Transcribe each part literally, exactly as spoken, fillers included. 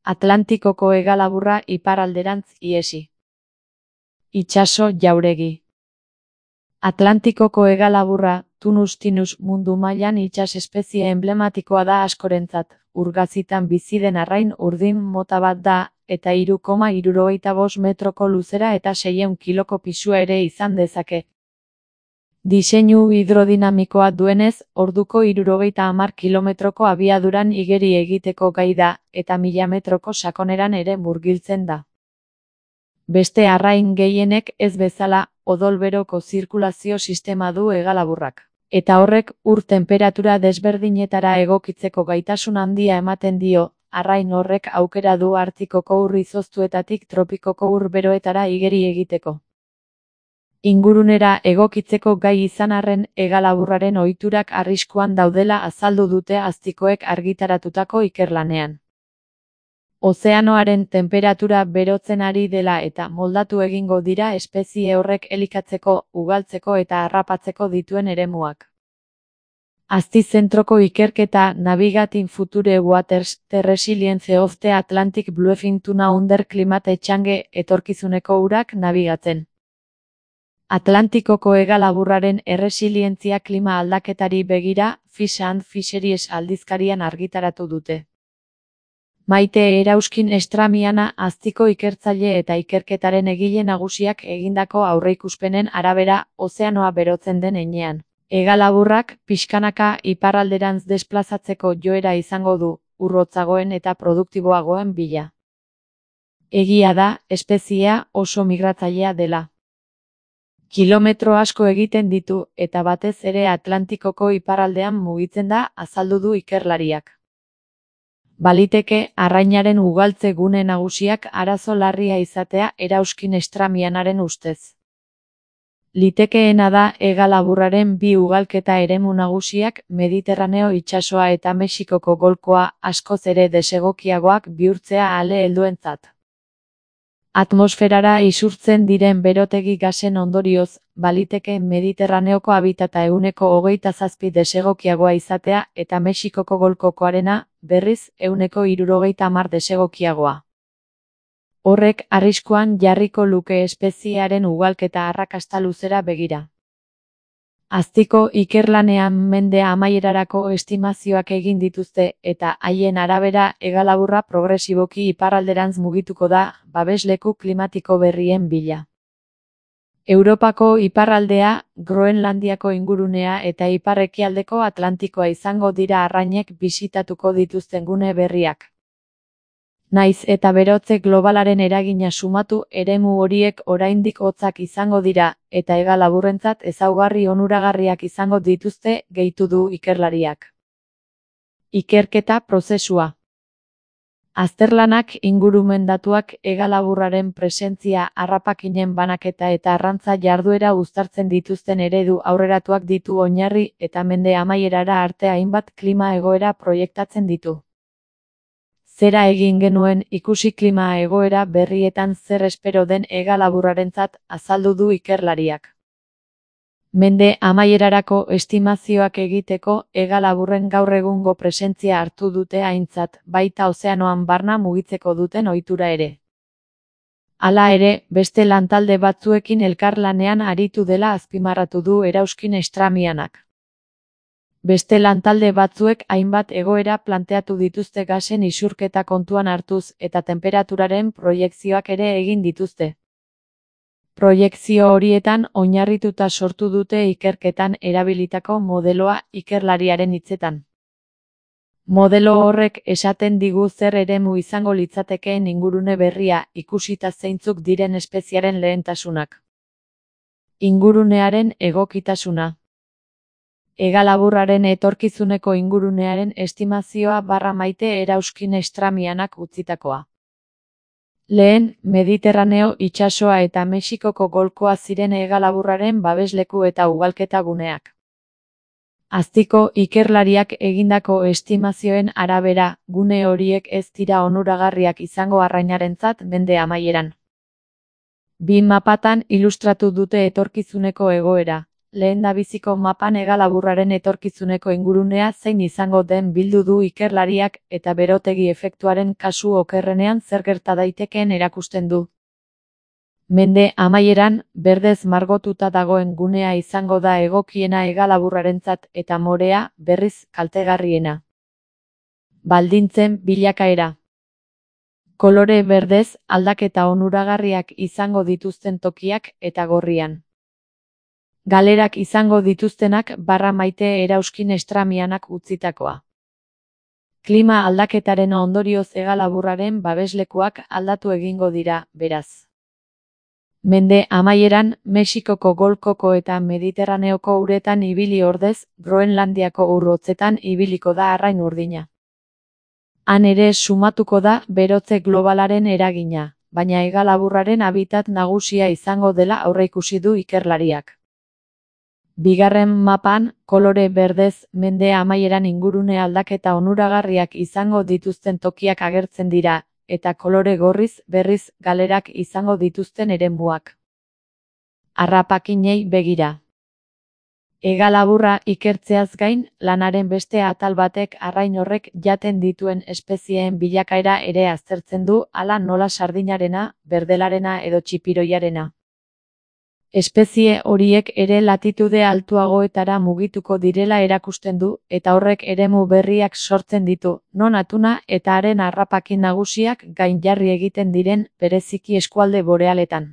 Atlantikoko hegalaburra iparralderantz ihesi. Itsaso jauregi. Atlantikoko hegalaburra, Tunus tinus, mundu mailan itsas espezie emblematikoa da askorentzat. Urgazitan bizi den arrain urdin mota bat da, eta hiru koma hirurogeita bost metroko luzera eta seiehun kiloko pisua ere izan dezake. Diseinu hidrodinamikoa duenez, orduko hirurogeita hamar kilometroko abiaduran igeri egiteko gai da, eta mila metroko sakoneran ere murgiltzen da. Beste arrain gehienek ez bezala, odol-beroko zirkulazio sistema du hegalaburrak. Eta horrek ur tenperatura desberdinetara egokitzeko gaitasun handia ematen dio, arrain horrek aukera du Artikoko ur izoztuetatik tropikoko ur beroetara igeri egiteko. Ingurunera egokitzeko gai izan arren, hegalaburraren ohiturak arriskuan daudela azaldu dute aztikoek argitaratutako ikerlanean. Ozeanoaren tenperatura berotzen ari dela eta moldatu egingo dira espezie horrek elikatzeko, ugaltzeko eta harrapatzeko dituen eremuak. Azti-zentroko ikerketa Navigating Future Waters, The Resilience of the Atlantic Bluefin Tuna Under Climate Change etorkizuneko urak nabigatzen. Atlantikoko hegalaburraren erresilientzia klima aldaketari begira, Fish and Fisheries aldizkarian argitaratu dute. Maite Erauskin Estramiana aztiko ikertzaile eta ikerketaren egile nagusiak egindako aurreikuspenen arabera, ozeanoa berotzen den heinean. Hegalaburrak pixkanaka iparralderantz desplazatzeko joera izango du, urrotzagoen eta produktiboagoen bila. Egia da, espeziea oso migratzailea dela. Kilometro asko egiten ditu, eta batez ere Atlantikoko iparraldean mugitzen da, azaldu du ikerlariak. Baliteke, arrainaren ugaltze gune nagusiak arazo larria izatea Erauskin Estramianaren ustez. Litekeena da hegalaburraren bi ugalketa eremu nagusiak Mediterraneo itsasoa eta Mexikoko golkoa askoz ere desegokiagoak bihurtzea ale helduentzat. Atmosferara isurtzen diren berotegi gasen ondorioz, baliteke Mediterraneoko habitata ehuneko hogeita zazpi desegokiagoa izatea eta Mexikoko golkokoarena, berriz, ehuneko hirurogeita hamar desegokiagoa. Horrek arriskuan jarriko luke espeziearen ugalketa arrakasta luzera begira. Aztiko ikerlanean mende amaierarako estimazioak egin dituzte eta haien arabera hegalaburra progresiboki iparralderantz mugituko da, babesleku klimatiko berrien bila. Europako iparraldea, Groenlandiako ingurunea eta ipar-ekialdeko Atlantikoa izango dira arrainek bisitatuko dituzten gune berriak. Naiz eta berotze globalaren eragina sumatu, eremu horiek oraindik hotzak izango dira, eta hegalaburrentzat ezaugarri onuragarriak izango dituzte, gehitu du ikerlariak. Ikerketa prozesua. Azterlanak ingurumen datuak hegalaburraren presentzia, harrapakinen banaketa eta arrantza jarduera uztartzen dituzten eredu aurreratuak ditu oinarri eta mende amaierara arte hainbat klima egoera proiektatzen ditu. Zera egin genuen ikusi klima egoera berrietan zer espero den hegalaburrarentzat, azaldu du ikerlariak. Mende amaierarako estimazioak egiteko hegalaburren gaur egungo presentzia hartu dute aintzat, baita ozeanoan barna mugitzeko duten ohitura ere. Hala ere, beste lantalde batzuekin elkarlanean aritu dela azpimarratu du Erauskin Estramianak. Beste lantalde batzuek hainbat egoera planteatu dituzte gasen isurketa kontuan hartuz eta temperaturaren proiekzioak ere egin dituzte. Proiekzio horietan oinarrituta sortu dute ikerketan erabilitako modeloa ikerlariaren hitzetan. Modelo horrek esaten digu zer eremu izango litzatekeen ingurune berria ikusita zeintzuk diren espeziaren lehentasunak. Ingurunearen egokitasuna. Hegalaburraren etorkizuneko ingurunearen estimazioa barra Maite Erauskin Estramianak utzitakoa. Lehen, Mediterraneo itsasoa eta Mexikoko golkoa ziren hegalaburraren babesleku eta ugalketa guneak. Aztiko ikerlariak egindako estimazioen arabera, gune horiek ez dira onuragarriak izango arrainarentzat mende amaieran. Bi mapatan ilustratu dute etorkizuneko egoera. lehendabiziko mapan hegalaburraren etorkizuneko ingurunea zein izango den bildu du ikerlariak eta berotegi efektuaren kasu okerrenean zer gerta daitekeen erakusten du. Mende amaieran, berdez margotuta dagoen gunea izango da egokiena hegalaburrarentzat eta morea, berriz, kaltegarriena. Baldintzen bilakaera. Kolore berdez, aldaketa onuragarriak izango dituzten tokiak eta gorrian. Galerak izango dituztenak barra maite erauskin estramianak utzitakoa. Klima aldaketaren ondorioz hegalaburraren babeslekuak aldatu egingo dira, beraz. Mende amaieran, Mexikoko golkoko eta Mediterraneoko uretan ibili ordez, Groenlandiako ur hotzetan ibiliko da arrain urdina. Han ere sumatuko da berotze globalaren eragina, baina hegalaburraren habitat nagusia izango dela aurreikusi du ikerlariak. Bigarren mapan, kolore berdez, mende amaieran ingurune aldaketa onuragarriak izango dituzten tokiak agertzen dira, eta kolore gorriz, berriz, galerak izango dituzten eremuak. Harrapakinei begira. Hegalaburra ikertzeaz gain, lanaren beste atal batek arrain horrek jaten dituen espezieen bilakaera ere aztertzen du, hala nola sardinarena, berdelarena edo txipiroiarena. Espezie horiek ere latitude altuagoetara mugituko direla erakusten du, eta horrek eremu berriak sortzen ditu, non atuna eta haren harrapakin nagusiak gainjarri egiten diren, bereziki eskualde borealetan.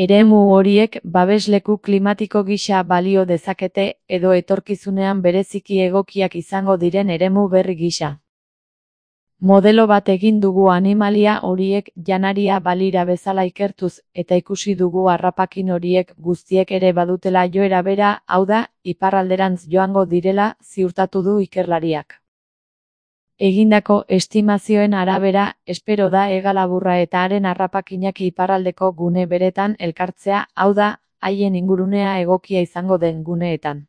Eremu horiek babesleku klimatiko gisa balio dezakete, edo etorkizunean bereziki egokiak izango diren eremu berri gisa. Modelo bat egin dugu animalia horiek janaria balira bezala ikertuz, eta ikusi dugu harrapakin horiek guztiek ere badutela joera bera, hau da, iparralderantz joango direla, ziurtatu du ikerlariak. Egindako estimazioen arabera, espero da hegalaburra eta haren harrapakinak iparraldeko gune beretan elkartzea, hau da, haien ingurunea egokia izango den guneetan.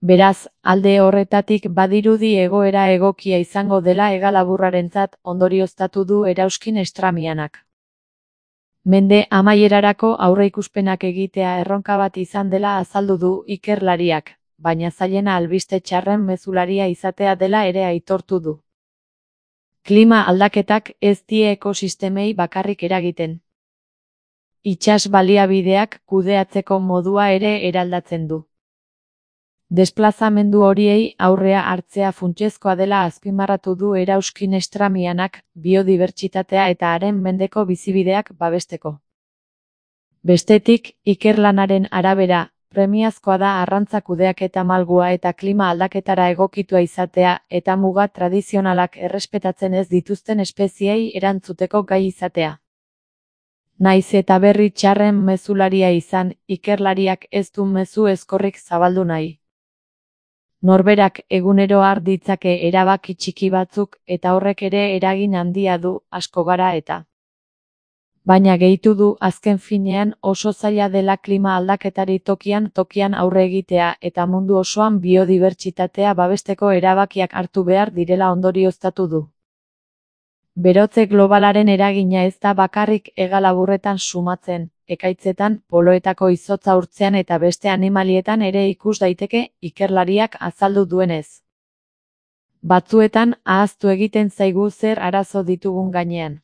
Beraz, alde horretatik badirudi egoera egokia izango dela hegalaburrarentzat ondorioztatu du erauskin estramianak. Mende amaierarako aurreikuspenak egitea erronka bat izan dela azaldu du ikerlariak, baina zailena albiste txarren mezularia izatea dela ere aitortu du. Klima aldaketak ez die ekosistemei bakarrik eragiten. Itsas baliabideak kudeatzeko modua ere eraldatzen du. Desplazamendu horiei aurrea hartzea funtsezkoa dela azpimarratu du erauskin estramianak, biodibertsitatea eta haren mendeko bizibideak babesteko. Bestetik, ikerlanaren arabera, premiazkoa da arrantza kudeaketa malgua eta klima aldaketara egokitua izatea eta muga tradizionalak errespetatzen ez dituzten espeziei erantzuteko gai izatea. Naiz eta berri txarren mezularia izan, ikerlariak ez du mezu ezkorrik zabaldu nahi. Norberak egunero har ditzake erabaki txiki batzuk eta horrek ere eragin handia du, asko gara eta. Baina gehitu du azken finean oso zaila dela klima aldaketari tokian tokian aurre egitea eta mundu osoan biodibertsitatea babesteko erabakiak hartu behar direla ondorioztatu du. Berotze globalaren eragina ez da bakarrik hegalaburretan sumatzen, ekaitzetan, poloetako izotza urtzean eta beste animalietan ere ikus daiteke, ikerlariak azaldu duenez. Batzuetan ahaztu egiten zaigu zer arazo ditugun gainean.